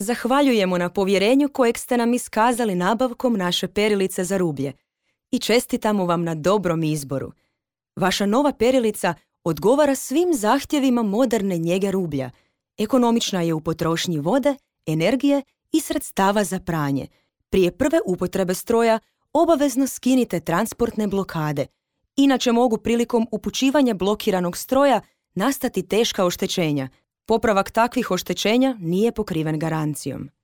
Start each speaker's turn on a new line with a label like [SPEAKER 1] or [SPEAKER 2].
[SPEAKER 1] Zahvaljujemo na povjerenju kojeg ste nam iskazali nabavkom naše perilice za rublje i čestitamo vam na dobrom izboru. Vaša nova perilica odgovara svim zahtjevima moderne njege rublja. Ekonomična je u potrošnji vode, energije i sredstava za pranje. Prije prve upotrebe stroja obavezno skinite transportne blokade. Inače mogu prilikom upućivanja blokiranog stroja nastati teška oštećenja. Popravak takvih oštećenja nije pokriven garancijom.